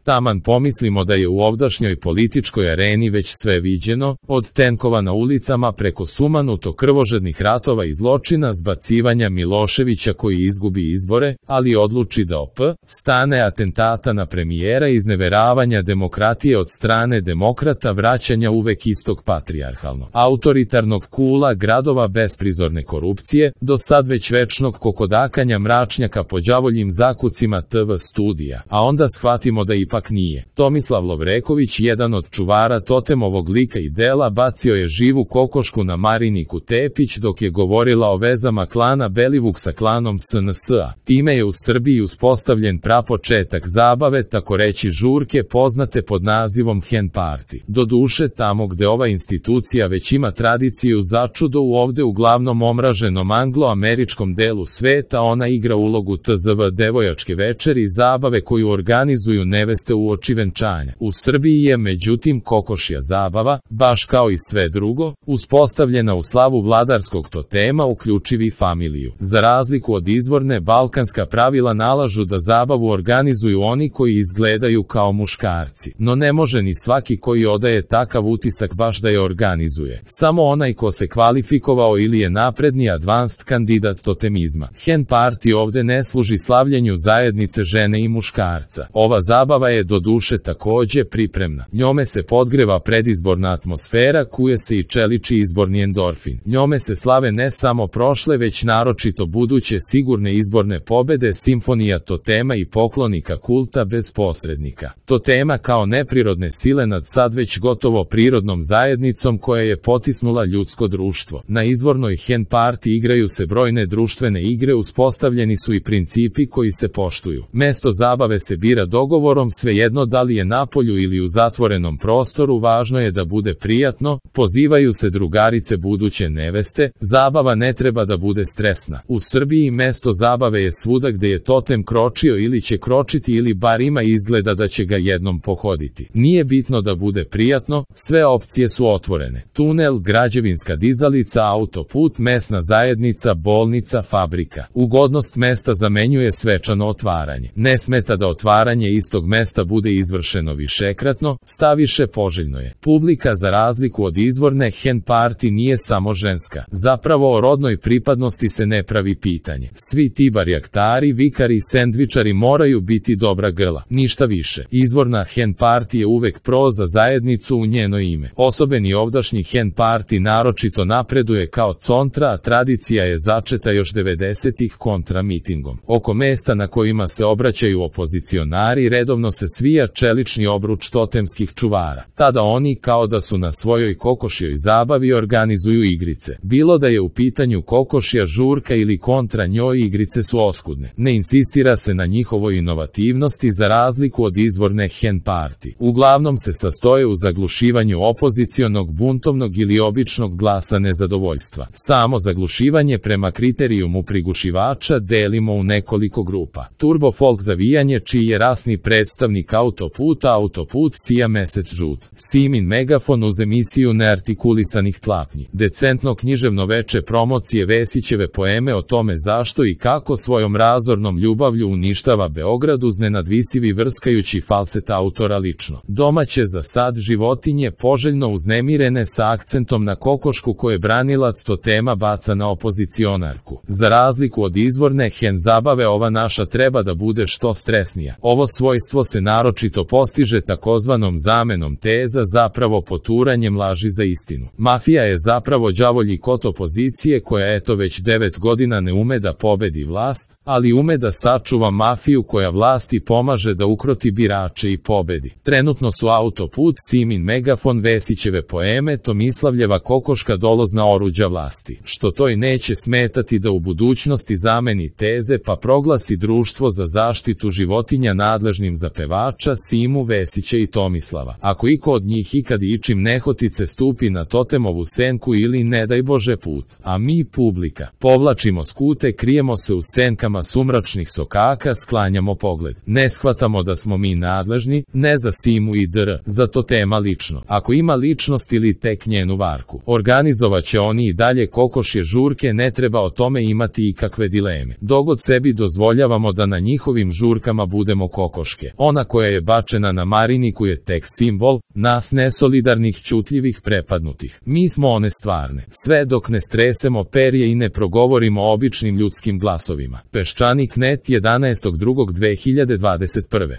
Taman pomislimo da je u ovdašnjoj političkoj areni već sve viđeno, od tenkova na ulicama preko sumanuto krvožednih ratova i zločina, zbacivanja Miloševića koji izgubi izbore, ali odluči da stane, atentata na premijera, izneveravanja demokratije od strane demokrata, vraćanja uvek istog patrijarhalnog, autoritarnog kula gradova, besprizorne korupcije, do sad već večnog kokodakanja mračnjaka po đavoljim zakucima TV studija, a onda shvatimo da ipak nije. Tomislav Lovreković, jedan od čuvara totemovog lika i dela, bacio je živu kokošku na Mariniku Tepić dok je govorila o vezama klana Belivuk sa klanom SNS-a. Time je u Srbiji uspostavljen prapočetak zabave, tako reći žurke, poznate pod nazivom hen party. Doduše, tamo gde ova institucija već ima tradiciju, začudo u ovde uglavnom omraženom anglo-američkom delu sveta, ona igra ulogu tzv. devojačke večeri i zabave koju organizuju neveste uoči venčanja. U Srbiji je međutim kokošja zabava, baš kao i sve drugo, uspostavljena u slavu vladarskog totema, uključivi familiju. Za razliku od izvorne, balkanska pravila nalažu da zabavu organizuju oni koji izgledaju kao muškarci. No ne može ni svaki koji odaje takav utisak baš da je organizuje. Samo onaj ko se kvalifikovao ili je napredni advanced kandidat totemizma. Hen party ovde ne služi slavljenju zajednice žene i muškarca. Ova zabava je doduše takođe pripremna. Njome se podgreva predizborna atmosfera, kuje se i čeliči izborni endorfin. Njome se slave ne samo prošle, već naročito buduće sigurne izborne pobede, simfonija totema i poklonika kulta bez posrednika. Totema kao neprirodne sile nad sad već gotovo prirodnom zajednicom koja je potisnula ljudsko društvo. Na izvornoj hen party igraju se brojne društvene igre, uspostavljeni su i principi koji se poštuju. Mesto zabave se bira dogovorom, svejedno da li je napolju ili u zatvorenom prostoru, važno je da bude prijatno, pozivaju se drugarice buduće neveste, zabava ne treba da bude stresna. U Srbiji mesto zabave je svuda gde je totem kročio ili će kročiti ili bar ima izgleda da će ga jednom pohoditi. Nije bitno da bude prijatno, sve opcije su otvorene. Tunel, građevinska dizalica, autoput, mesna zajednica, bolnica, fabrika. Ugodnost mesta zamenjuje svečano otvaranje. Ne smeta da otvaranje istog mesta bude izvršeno višekratno, staviše poželjno je. Publika za razliku od izvorne hen party nije samo ženska. Zapravo o rodnoj pripadnosti se ne pravi pitanje. Svi ti barjaktari, vikari i sendvičari moraju biti dobra grla. Ništa više. Izvorna hen party je uvek pro za zajednicu u njeno ime. Osobeni ovdašnji hen party naročito napreduje kao contra, a tradicija je začeta još 90-ih kontra mitingom. Oko mesta na kojima se obraćaju opozicionari redovno se svija čelični obruč totemskih čuvara. Tada oni kao da su na svojoj kokošjoj zabavi organizuju igrice. Bilo da je u pitanju kokošja žurka ili kontra njoj, igrice su oskudne. Ne insistira se na njihovoj inovativnosti za razliku od izvorne hen party. Uglavnom se sastoje u zaglušivanju opozicionog, buntovnog ili običnog glasa nezadovoljstva. Samo zaglušivanje prema kriterijumu prigušivača delimo u nekoliko grupa. Turbo folk zavijanje, čiji je rasni predstavnik autoput sija mesec žut. Simin megafon uz emisiju neartikulisanih tlapnji. Decentno književno veče promocije Vesićeve poeme o tome zašto i kako svojom razornom ljubavlju uništava Beograd uz nenadvisivi vrskajući falset autora lično. Domaće za sad životinje poželjno uznemirene sa akcentom na kokošku koje branilac totema baca na opozicionarku. Za razliku od izvorne hen zabave, ova naša treba da bude što stresnija. Ovo svojstvo se naročito postiže takozvanom zamenom teza, zapravo poturanjem laži za istinu. Mafija je zapravo đavolji kot opozicije koja eto već 9 godina ne ume da pobedi vlast, ali ume da sačuva mafiju koja vlasti pomaže da ukroti birače i pobedi. Trenutno su autoput, Simin megafon, Vesićeve poeme, Tomislavljeva kokoška dolozna oruđa vlasti. Što to i neće smetati da u budućnosti zameni teze pa proglasi Društvo za zaštitu životinja nadležnim za pevača Simu, Vesića i Tomislava. Ako iko od njih ikad ičim nehotice stupi na totemovu senku ili ne daj Bože put, a mi publika povlačimo skute, krijemo se u senkama sumračnih sokaka, sklanjamo pogled. Ne shvatamo da smo mi nadležni, ne za Simu i dr, za totema lično. Ako ima ličnost ili tek njenu varku, organizovaće oni i dalje kokošje žurke, ne treba o tome imati ikakve dileme. Dogod sebi dozvoljavamo da na njihovim žurkama budemo kokoške. Ona Ona koja je bačena na Mariniku je tek simbol, nas nesolidarnih ćutljivih prepadnutih. Mi smo one stvarne. Sve dok ne stresemo perje i ne progovorimo običnim ljudskim glasovima. Peščanik.net 11.2.2021.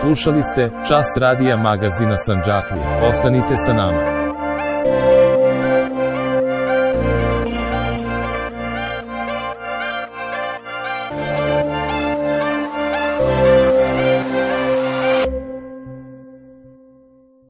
Slušali ste Čas radija magazina Sandžaklija. Ostanite sa nama.